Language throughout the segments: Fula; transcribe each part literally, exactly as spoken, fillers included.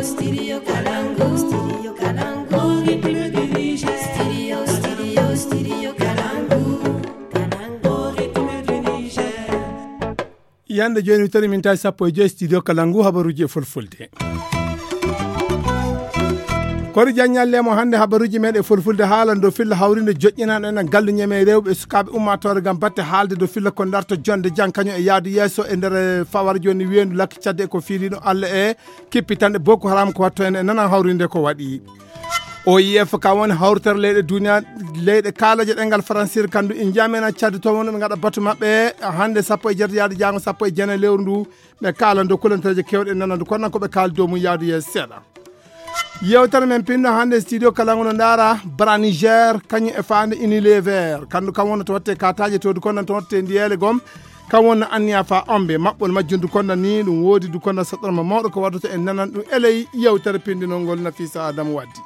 Studio Kalangu, Studio Kalangu, Ritme du Niger. Studio, Studio, Studio Kalangu, Kalangu, Ritme du Niger. Yande jooni, mi tawi min tawi sappo e joy studio Kalangu, habaruuji e fulfulde. Kori Diagne Lemo hannde habaruuji meɗen fulfulde haalan dow filla hawrinde joƴƴinano en gallu ñeme rewɓe e sukaaɓe ummaatoore ngam batte haalde dow filla ko darto jonde jang kañum e yaadu yeeso e nder fawar jooni weendu lakki cadde e ko fiiliɗo Allah e kippitanɗe Boko Haram ko watto en e nanan hawrinde ko waɗi. O I F ka woni hawritere leyɗe duniya, leyɗe kaalaje ɗengal faransir kandu e njamena cadde to woni ɓe ngaɗa batu maɓɓe hannde sappo e jeetati yaadu jango sappo e jeenayi lewru ndu. Ɓe kaalan dow kulanteeje kewɗe nanandu kono ko ɓe kaali dow mum yaadu yeeso seeɗa. Yewtere men pinno hannde studio kala ngono ndaara bara Niger kañum e faande Unilever kandu kam wonno to watte kataje to du konnan to watte ndiyele gom kam wonno anniya fa ombe maɓɓol majjum du konnan ni ɗum woodi du konnan saɗɗorma mawɗo ko waddata en nanan ɗum eley yewtere pindinol ngol Nafisa Adamu waddi.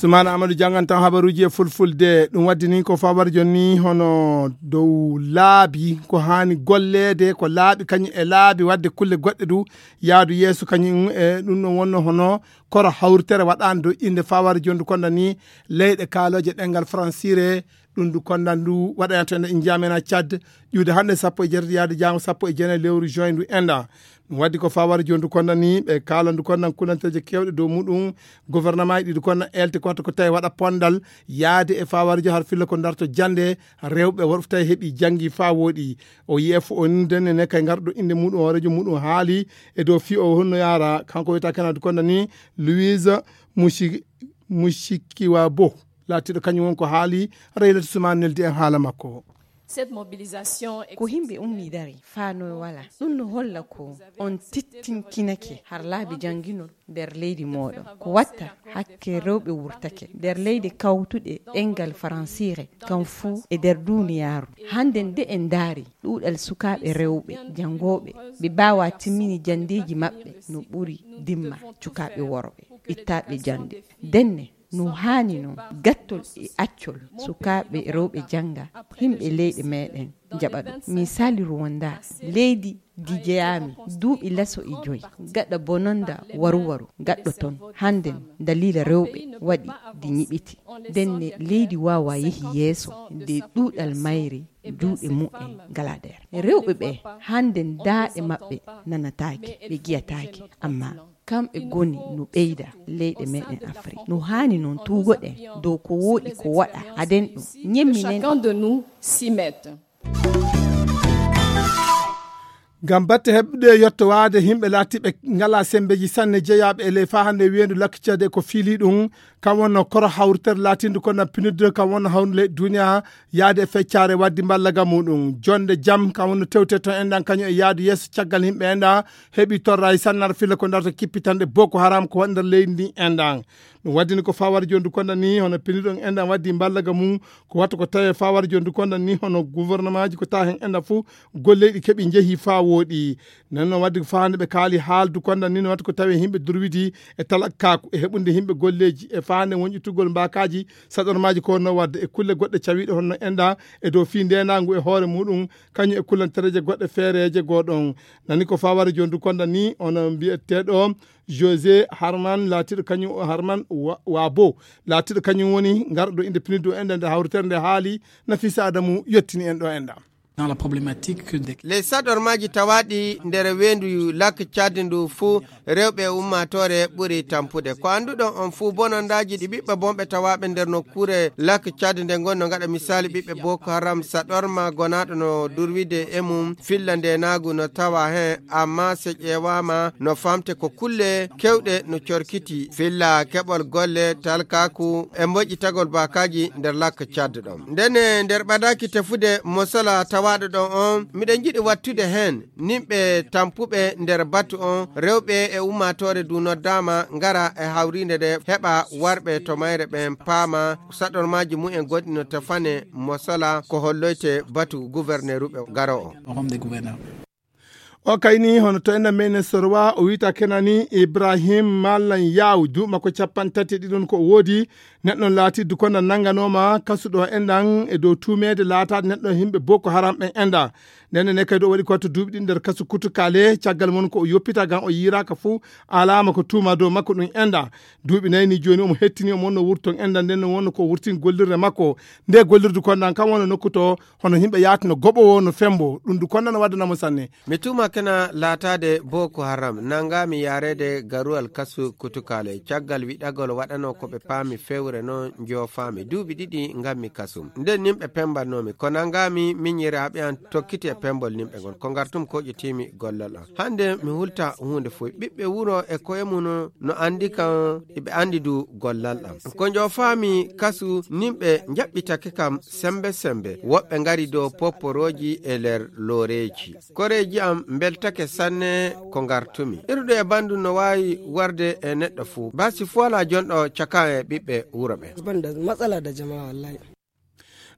Sumaana Amadou janngan tan habaruuji e fulfulde. Ɗum waddi ni ko fawar jonni hono dow laabi ko haani golleede ko laaɓi kañum e laabi waɗde kulle goɗɗe du yaadu yeeso kañum e ɗum ɗon wonno hono koro hawritere waɗaande dow innde fawar jonni du konda ni leyɗe kaalooje ɗengal fransire. Ɗum du konda ndu waɗayanto en injamena Tchad ƴuude hannde sappo e jeetati yaade jaango sappo e jeenayi lewru juin ndu enda. Ɗum waddi ko fawar jonni du konda ni ɓe kaalan du konda kulanteeje kewɗe dow muɗum. Gouvernement ɗi du konda elte ko watta ko tawi waɗa pondal yaade e fawar jo har filla ko darto jannde rewɓe worɓe tawi heɓi janngi fa wooɗi. O I F o ni denne ne kay ngarɗo innde muɗum hoorejo muɗum haali e dow fi o honno yaara kanko wiyata kena du konda ni Louise Mushi Mushikiwabo laatiiɗo kañum won ko haali. Reylata Suman neldi en haala makko. Cette mobilisation est ko himɓe ummi dari fano wala ɗum no holla ko on tittinkinake har laabi jannginol nder leydi mooɗon ko watta hakke rewɓe wurtake nder leydi kawtuɗe ɗengal faransiire kam fuu e nder duniyaaru. Hannde nde en ndaari ɗuuɗal sukaaɓe rewɓe janngooɓe ɓe mbaawa timmini janndeeji maɓɓe no ɓuri dimma cukaaɓe worɓe ittaaɓe jannde. Ndenne no haani noon gattol e accol sukaaɓe rewɓe jannga. Himɓe leyɗe meɗen njaɓa ɗum misali Rwanda, leydi ndi jeyaami duuɓi laso e joyi gaɗa bononda waruwaru gaɗɗo toon. Hannden daliila rewɓe waɗi ndi ñiɓiti. Ndenne leydi waawa yehi yeeso nde ɗuuɗal mayri juuɗe mumen ngala nder rewɓe ɓe. Hannden daaɗe maɓɓe nanataake ɓe giyataake amma kamɓe goni no ɓeyda leyɗe meɗen Afrik. No haani noon tuugoɗen dow ko wooɗi ko waɗa aden ɗum ñemminen. Chacun de nous s'y mette. Ngam batte heɓude yettowaade yimɓe laatiiɓe ngala sembeeji sanne jeyaaɓe e ley faa hannde weendu lakkiceede ko fiili ɗum kam wonno koro hawritere laatindu ko na pinidde kam wonno hawnde ley duniya yaade e feccaare waddi mballaga muɗum jonde jam kam wonno tewte toon enɗan kañum e yaadu yeeso caggal yimɓe enɗan heɓi torra e sannar filla ko darta kippitanɗe Boko Haram ko waɗi nder leydi ndi enɗan. Ɗum waddini ko fawar jondu konda ni hono piniɗon enɗan waddi mballaga mum ko wattu ko tawe fawar jondu konda ni hono gouvernement ji ko tawa hen enɗan fof golleyɗi keɓi njehi faa wooɗi. Nden noon wadde ko faande ɓe kaali haaldu konda ni no watta ko tawe yimɓe durwidi e talakkaku e heɓunde yimɓe golleeji e faande wonƴitugol mbaakaaji saɗormaaji ko wonno wadde e kulle goɗɗe cawiiɗe honno enɗa e dow fii ndeenaangu e hoore muɗum kañum e kullantereeje goɗɗe feereeje goo ɗon. Nani ko fawara jondu konda ni ono mbiyeteeɗo José Harman laatiiɗo kañum o Harman wa, wa bo laatiiɗo kañum woni ngarɗo inde piniddu o enɗa nde hawritere nde haali. Nafisa Adamu yettini en ɗo enɗa. Dans la problématique de les saɗormaaji tawaaɗi nder weendu lak Tchad ndu fuu rewɓe e ummaatoore ɓuri tampude ko annduɗon on fuu bonondaaji ɗi ɓiɓɓe bonɓe tawaaɓe nder nokkuure lak Tchad nde ngonno ngaɗa misaali ɓiɓɓe Boko Haram saɗorma gonaaɗo no durwide e mum filla ndeenaagu no tawa heen amma so ƴeewaama no famte ko kulle kewɗe no corkiti filla keɓol golle talkaaku e mboƴƴitagol baakaaji nder lak Tchad ɗon. Ndene nder ɓadaaki tefude mosala tawaaɗo ɗon on miɗen njiɗi wattude heen nimɓe tampuɓe nder batu on rewɓe e ummaatoore du noddaama ngara e hawriinde nde heɓa warɓe to mayre ɓen paama saɗormaaji mumen goɗɗi no tefane mosala ko holloyte batu guwerneeruɓe garo on. O kayni hono to enɗan men sorowa o wiyta kenani Ibrahim Mallan Yaw duuɓi makko capanɗe tati e ɗiɗon ko o woodi. Neɗɗo on laati dukonda nannganooma kasuɗo enɗan e dow tuumeede laataade neɗɗo himɓe Boko Haram ɓen enɗan. Nden ne kadi o waɗi ko to duuɓi ɗiɗi nder kasu kutukale, caggal mon ko o yoppita ngam o yiiraaka fuu, alaama ko tuuma dow makko ɗum enɗan. Duuɓi nayi ni jooni omo hettini, omo wonno wurton enɗan, nden ne wonno ko wurtin gollirde makko. Nde gollirdu konɗan kan wonno nokku to hono himɓe yaatuno goɓowo no fembo, ɗum du konɗan no waddana mo sanne. Mi tuuma kena laataade Boko Haram, nanngaami yaareede garuwal kasu kutukale, caggal wiɗagol waɗanoo ko ɓe paami fewre non njoofaami duuɓi ɗiɗi ngammi kasum. Nden nimɓe pembatnoomi, ko nanngaami miñiraaɓe an tokkiti e pembol nimɓe ngon, ko ngartum koƴetiimi gollal an. Hannde mi hulta huunde foy, ɓiɓɓe wuro e koye mun no anndi kan, iɓe anndi du gollal am. Ko njoofaami kasu, nimɓe njaɓɓitake kam sembe sembe, woɓɓe ngari dow popporooji e nder looreeji. Koreeji am mbeltake sanne ko ngartumi. Iruɗo e banndum no waawi warde e neɗɗo fuu. Baasi fuu alaa jonɗo caka e ɓiɓɓe wuro ɓen. Ban da matsala da jama'a wallahi.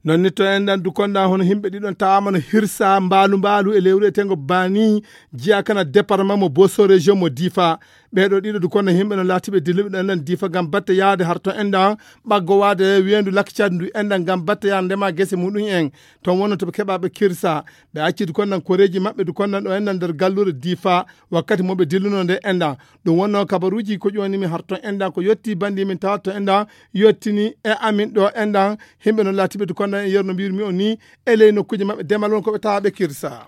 Non ni to enɗan dukonɗan hono himɓe ɗiɗon tawaama no hirsa mbaalu mbaalu e lewru eteengo Bani, jiya kana département mo Bosso région mo Difa. Ɓeeɗo ɗiɗo dukonɗan himɓe no laatiɓe dilluɓe ɗo enɗan Difa ngam batte yaade har to enɗan ɓaggo waade weendu Lakcad ndu enɗan ngam batte yaade ndema gese muɗum en. Ton wonno to ɓe keɓa ɓe kirsa. Ɓe acci dukonɗan koreeji maɓɓe dukonɗan ɗo enɗan nder galluure Difa wakkati mo ɓe dilluno nde enɗan. Ɗum wonno kabaruuji ko ƴoonimi har to enɗan ko yotti banndi min tawa to enɗan yottini e amin ɗo enɗan. Himɓe no laatiɓe dukonɗan e yerno mbirmi on ni e ley nokkuuje maɓɓe demal won ko ɓe tawa ɓe kirsa.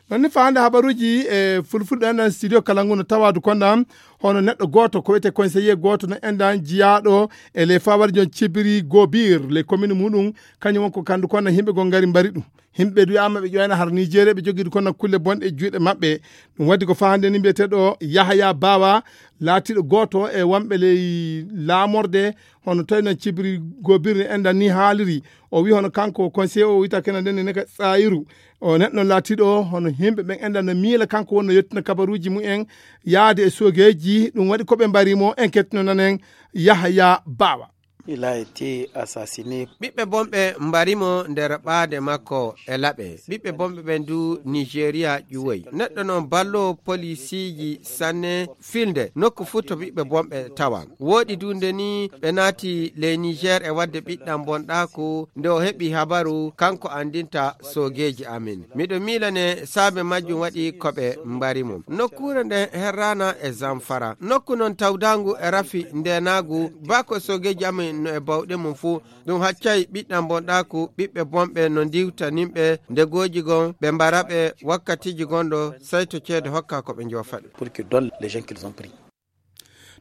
Non ni faande habaruuji e fulfulde enɗan studio kala ngu no tawa dukonɗan hono neɗɗo gooto ko wiyetee conseiller gooto no enɗan jiyaaɗo e ley fawari jon cibiri gobir ley commune muɗum, kañum won ko kandu konɗan himɓe goo ngari mbari ɗum. Himɓe du wiyaama ɓe ƴoyna har Nigeria ɓe jogii du konɗan kulle bonɗe e juuɗe maɓɓe. Ɗum waɗi ko faa hannde ni mbiyeteeɗo Yahaya Bawa laatiiɗo gooto e wonɓe ley laamorde hono tawi no cibiri gobirni enɗan ni haaliri. O wi hono kanko conseiller o wiyata kena nden ne ka Tsayiru. O neɗɗo laatiiɗo hono himɓe ɓen enɗan no miila kanko wonno yettina kabaruuji mumen yaade e soogeeji. Ɗum waɗi ko ɓe mbari mo en kettino nanen Yahaya Bawa. Il a été assassiné. Ɓiɓɓe bonɓe mbari mo nder ɓaade makko e laɓe. Ɓiɓɓe bonɓe ɓen du Nigeria ƴuwoy. Neɗɗo non ballo polisiiji sanne filnde nokku fuu to ɓiɓɓe bonɓe tawa. Wooɗi du nde ni ɓe naati ley Niger e waɗde ɓiɗɗan bonɗaaku nde o heɓi habaru kanko anndinta soogeeji amin. Miɗo miilane saabe majjum waɗi ko ɓe mbari mo. Nokkuure nden herraana e Zamfara. Nokku non tawdaangu e rafi ndeenaagu, baa ko soogeeji amin no e bawɗe mum fuu. Ɗum haccay ɓiɗɗan bonɗaaku, ɓiɓɓe bonɓe no ndiwta nimɓe ndegooji gon, ɓe mbara ɓe wakkatiiji gonɗo, sey to ceede hokka ko ɓe njoofa ɗum. Pour qu'ils donnent les gens qu'ils ont pris.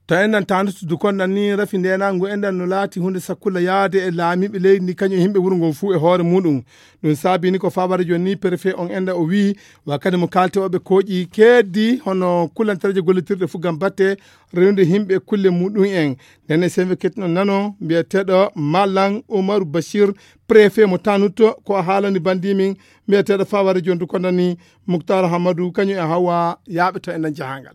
To enɗan taandutu dukonɗan ni rafi ndeenaangu enɗan no laati huunde sakkulla yaade e laamiiɓe leydi ndi kañum e himɓe wuro ngon fuu e hoore muɗum. Ɗum saabi ni ko fawara jooni ni préfet on enɗan o wii wakkati mo kaalte oɓe kooƴi keeddi hono kullantareeje gollitirɗe fuu ngam batte renude himɓe kulle muɗum en. Nden e sembe kettuno nano mbiyeteeɗo Malang Umaru Bashir, préfet mo Tanut, ko o haalani banndi min mbiyeteeɗo fawara jooni dukonɗan ni Muktar Hamadu kañum e Hawa yaaɓe to enɗan jahangal.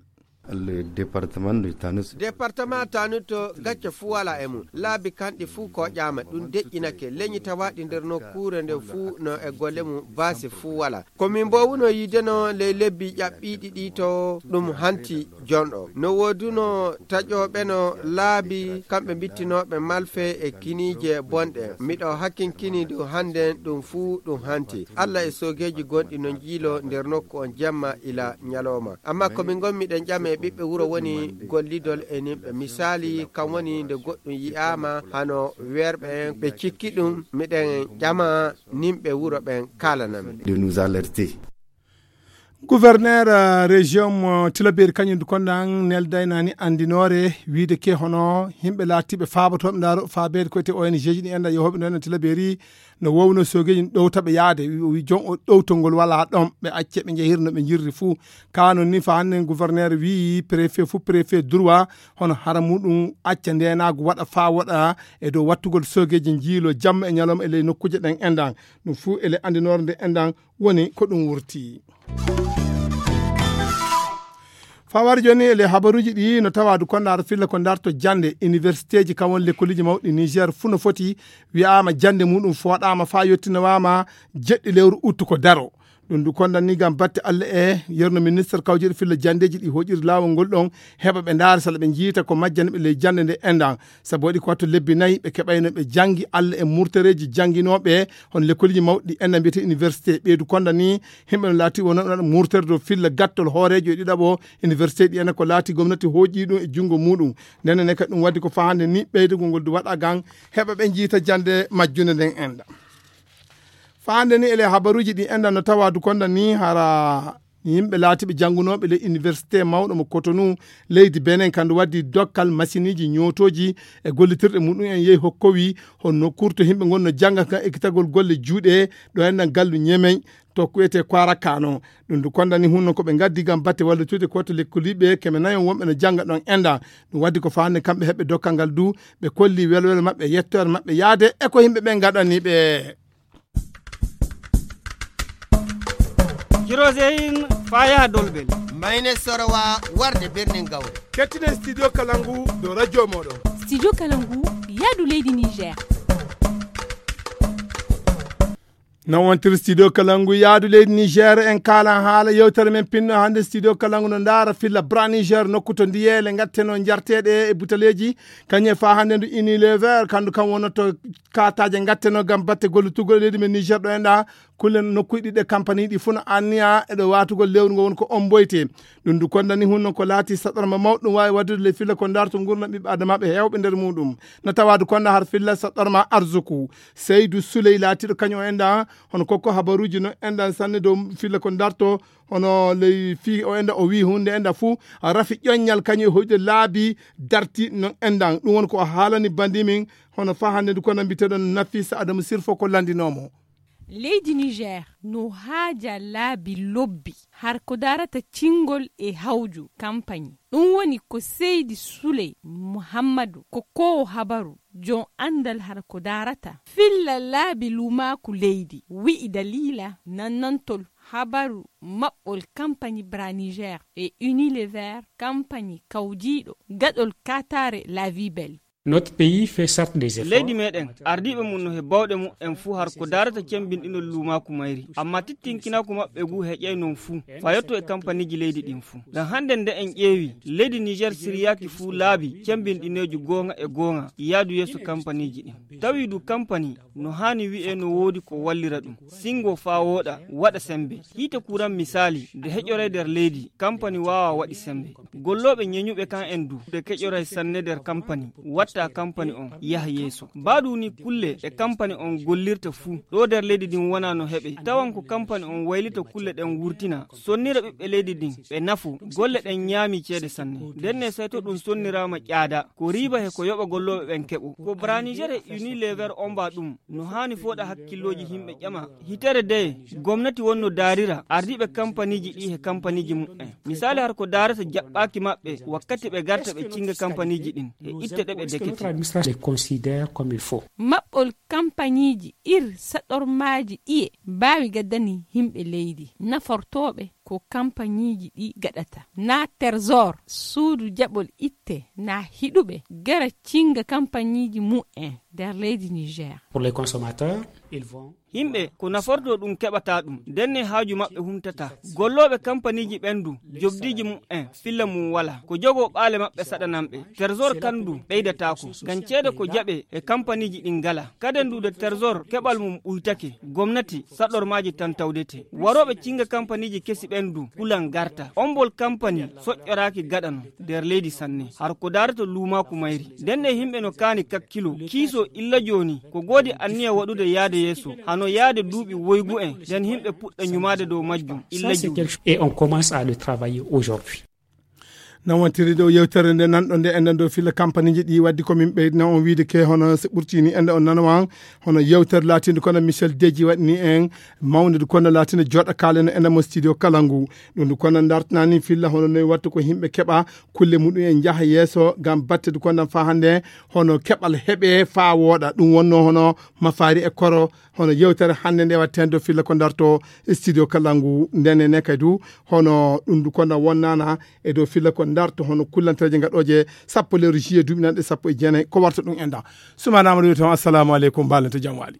Le département de Tanut. Département Tanut gacce fuu walaa e mum. Laabi kanɗi fuu koƴaama, ɗum deƴƴinake. Leñi tawaaɗi nder nokkuure nde fuu no e golle mum, baasi fuu walaa. Ko min mboowuno yiideno ley lebbi ƴaɓɓiiɗi ɗi to ɗum hanti jonɗo. No wooduno taƴooɓeno laabi, kamɓe mbittinooɓe malfe e kiniije bonɗe. Miɗo hakkinkini ɗum hannden ɗum fuu ɗum hanti. Alla e soogeeji gonɗi no njiilo nder nokku on jemma ila ñalooma. Amma ko min ngonmi ɗen ƴame ɓiɓɓe wuro woni gollidol e nimɓe. Misaali, kam woni nde goɗɗum yi'aama hano weerɓe en, ɓe cikki ɗum, miɗen ƴama nimɓe wuro ɓen kaalana min. De nous alerter. Gouverneur, eh, région mo Tilaberi kañum du konɗan neldaynani anndinoore wiide ke hono yimɓe laatiiɓe faabatooɓe ndaaro faabeede ko wiyetee O N G ji ɗi enda yehooɓe no ena Tilaberi no woowno soogeeji ɗowta ɓe yaade. Wi, o wi jon o ɗowtol ngol walaa ɗon, ɓe acce ɓe njehira no ɓe njirri fuu. Kaa non ni fa hannde gouverneur wii préfet fuu préfet droit hono hara muɗum acca ndeenaagu waɗa faa waɗa e dow wattugol soogeeji njiilo jamma e ñalawma e ley nokkuuje ɗen endan. Ɗum fuu e ley anndinoore nde endan woni ko ɗum wurti. Fawar jooni e ley habaruuji ɗi no tawa du kondaar filla ko ndarto jannde universitéji kam woni lekkoliji mawɗi Niger fuu no foti wi'aama jannde muɗum fooɗaama faa yottinowaama jeɗɗi lewru uttu ko daro. Ɗum ndu kondan ni ngam batte Allah e yerno ministre kawjeeɗo filla janndeeji ɗi hoƴiri laawol ngol ɗon, heɓa ɓe ndaara sala ɓe njiita ko majjani ɓe ley jannde nde enɗan. Sabu waɗi ko wattu lebbi nayi ɓe keɓayno ɓe janngi Allah e murtereeji jannginooɓe, hono lekkoliji mawɗi ɗi enɗan mbiyete université. Ɓeydu kondan ni, himɓe no laati wonooɓe murtere dow filla gattol hooreejo e ɗiɗaɓo université ɗi enɗan ko laati gomnati hoƴi ɗum e junngo muɗum. Nden ne kadi ɗum waddi ko fahande ni ɓeydugol ngol du waɗa ngam heɓa ɓe njiita jannde majjunde nden enɗan. Fahande ni ele habaruuji ɗi enɗan no tawa du kondan ni hara yimɓe laatiɓe janngunooɓe ley université mawɗo mo Cotonou, leydi Benin, kandu waddi dokkal masiniiji ñootooji e gollitirɗe muɗum en yehi hokkowi honno kurto yimɓe ngon no jannga kan ekkitagol golle juuɗe ɗo enɗan gallu Ñemey to kuwete Kwarakano. Ɗum du kondan ni hunno ko ɓe ngaddi ngam batte wallitude ko to lekkoliɓe keme nayon wonɓe no jannga ɗon enɗan. Ɗum waddi ko fahande kamɓe heɓɓe dokkal ngal du ɓe kolli welwel maɓɓe, yettoore maɓɓe yaade e ko yimɓe ɓe ngaɗani ɓe. Kiroseyin faa yaha Dolbel. Mayne Sorowa warde birnin Gawri. Kettinen Studio Kalangu dow radio mooɗon. Studio Kalangu yaadu leydi Niger. Non wontiri Studio Kalangu yaadu leydi Niger, en kaalan haala yewtere men pinno hannde. Studio Kalangu no ndaara filla Bra Niger, nokku to ndiyeele ngatteno njarteeɗe e butaleeji. Kañum e faa hannde ndu Unilever, kandu kam wonnoto kaataaje ngatteno ngam batte gollitugol e leydi men Niger ɗo enɗan. Kulle nokkuuji ɗiɗi e kampani ɗi fof no anniya e ɗo waatugol lewru ngo woni ko omboyte. Ɗum du konda ni hunno ko laati saɗorma mawɗo ɗum waawi waɗude ley filla ko ndarto nguurndam ɓiɓɓe adamaaɓe heewɓe nder muɗum. No tawaadu konda har filla saɗorma arzuku. Seydu Suley laatiiɗo kañum o enɗan hono kokko habaruuji no enɗan sanne dow filla ko ndarto hono ley fii o enɗan o wii hunde enɗan fuu rafi ƴoññal kañum e hoyde laabi darti non enɗan. Ɗum woni ko o haalani bandi min hono faa hannde ndu konda mbiyeteɗon Nafisa Adamu Sirfo ko lanndinoo mo. Leydi Niger no haaja laabi lobbi har ko darata cingol e hawju kampañi. Ɗum woni ko Seydi Suley Muhammadu ko koowo habaru, joom anndal har ko darata filla laabi luumaaku leydi, wi'i daliila nannantol habaru maɓɓol kampañi Bra Niger e Unilever kampañi kawjiiɗo gaɗol kaataare La Vie Belle. Notre pays fait certes des efforts. Leydi meɗen ardiɓe mum no he bawɗe mum en fuu har ko darata cembinɗinol luumaaku mayri, amma tittinkinaaku maɓɓe ngu heƴay non fuu fayotto e kampaniiji leydi ɗin fuu. Ngam hannde nde en ƴeewi, leydi Niger siryaaki fuu laabi cembinɗineeju goonga e goonga yaadu yeeso kampaniiji ɗin. Tawi du kampani no haani wi'e no woodi ko wallira ɗum, singo faa wooɗa, waɗa semmbe. Hiite kuran misaali, nde heƴoray nder leydi, kampani waawaa waɗi semmbe. Gollooɓe ñeñuɓe kan en du, ɓe keƴoray sanne nder kampani, watta kampani on yaha yeeso. Baa du ni kulle ɗe kampani on gollirta fuu, ɗoo nder leydi ndin wonaa no heɓe. Tawan ko kampani on waylita kulle ɗen wurtina, sonnira ɓiɓɓe leydi ndin, ɓe nafo. Golle ɗen ñaami ceede sanne. Ndenne say to ɗum sonniraama ƴaada, ko riiba he ko yoɓa gollooɓe ɓen keɓo. Ko Bra Niger e Unilever ombaa ɗum, no haani fooɗa hakkillooji yimɓe ƴama. Hitere deye, gomnati wonno daarira ardiiɓe kampaniiji ɗi he kampaniiji muɓɓen. Misaali har ko daarata jaɓɓaaki maɓɓe wakkati ɓe garta ɓe cinga kampaniiji ɗin e itte ɗe ɓe dekete. Maɓɓol kampaniiji ir saɗormaaji ɗiye mbaawi gaddani yimɓe leydi nafortooɓe ko kampaniiji ɗi gaɗata. Na Terzor, suudu jaɓol itte, na hiɗuɓe gara cinga kampaniiji mu'en nder leydi Niger. Pour les consommateurs, ils vont Yimɓe ko nafortoo ɗum keɓataa ɗum, ndenne haaju maɓɓe humtataa. Gollooɓe kampaniiji ɓen du, jogdiiji mu'en filla mum walaa. Ko jogoo ɓaale maɓɓe saɗanan ɓe. Terzor kan du ɓeydataako, ngam ceede ko jaɓee e kampaniiji ɗin ngalaa. Kaden du de Terzor keɓal mum ɓuytake, gomnati saɗormaaji tan tawdete. Warooɓe cinga kampaniiji kesi ɓen du kulan garta. Ombol kampani soƴƴoraaki gaɗano nder leydi sanne. Har ko daarata luumaaku mayri. Ndenne yimɓe no kaani kakkilo, kiisoo illa jooni. Ko goodi anniya waɗude yaade yeeso, hano yaade duuɓi woygu en, nden yimɓe puɗɗa ñumaade dow majjum illa jooni. Et on commence à le travailler aujourd'hui. Non wontiri ɗo yewtere nde nanɗo nde enɗan dow filla kampaniiji ɗi waddi ko min ɓeydina on wiide ke hono so ɓurtini enɗa on nanawan hono yewtere laatinde kono Michel Deji waɗini en mawnide kono laatinde joɗa kaaleno enɗa mo studio kala ngu. Ɗum ndu kono dartanani filla hono noye watta ko yimɓe keɓa kulle muɗum en njaha yeeso ngam battedu kono faa hannde hono keɓal heɓe faa wooɗa ɗum wonno hono mafaari e koro hono yewtere hannde nde watten dow filla ko darto studio kala ngu ndene ne kay du hono ɗum du kono wonnana e dow filla ko darto hono kullanteeje gaɗooje sappo lewru juillet duuɓi nanɗe sappo e jeenayi ko warta ɗum enɗa. Sumaana Amadou wi toon assalamu aleykum mbaalante jam waali.